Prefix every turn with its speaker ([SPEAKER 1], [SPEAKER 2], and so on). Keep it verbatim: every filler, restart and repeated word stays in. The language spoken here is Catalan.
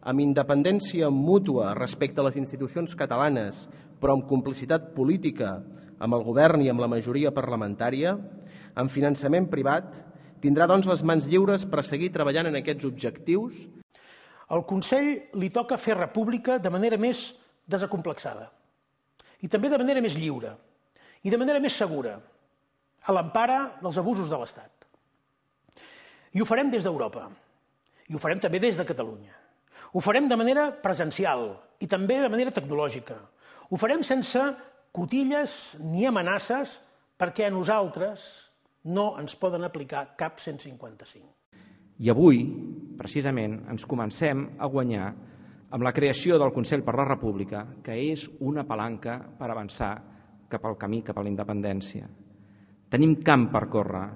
[SPEAKER 1] amb independència mútua respecte a les institucions catalanes, però amb complicitat política amb el govern i amb la majoria parlamentària, amb finançament privat, tindrà doncs les mans lliures per seguir treballant en aquests objectius.
[SPEAKER 2] Al Consell li toca fer república de manera més desacomplexada i també de manera més lliure i de manera més segura, a l'empara dels abusos de l'Estat. I ho farem des d'Europa, i ho farem també des de Catalunya. Ho farem de manera presencial i també de manera tecnològica. Ho farem sense cotilles ni amenaces perquè a nosaltres no ens poden aplicar cap cent cinquanta-cinc.
[SPEAKER 3] I avui, precisament, ens comencem a guanyar amb la creació del Consell per la República, que és una palanca per avançar cap al camí, cap a la independència. Tenim camp per córrer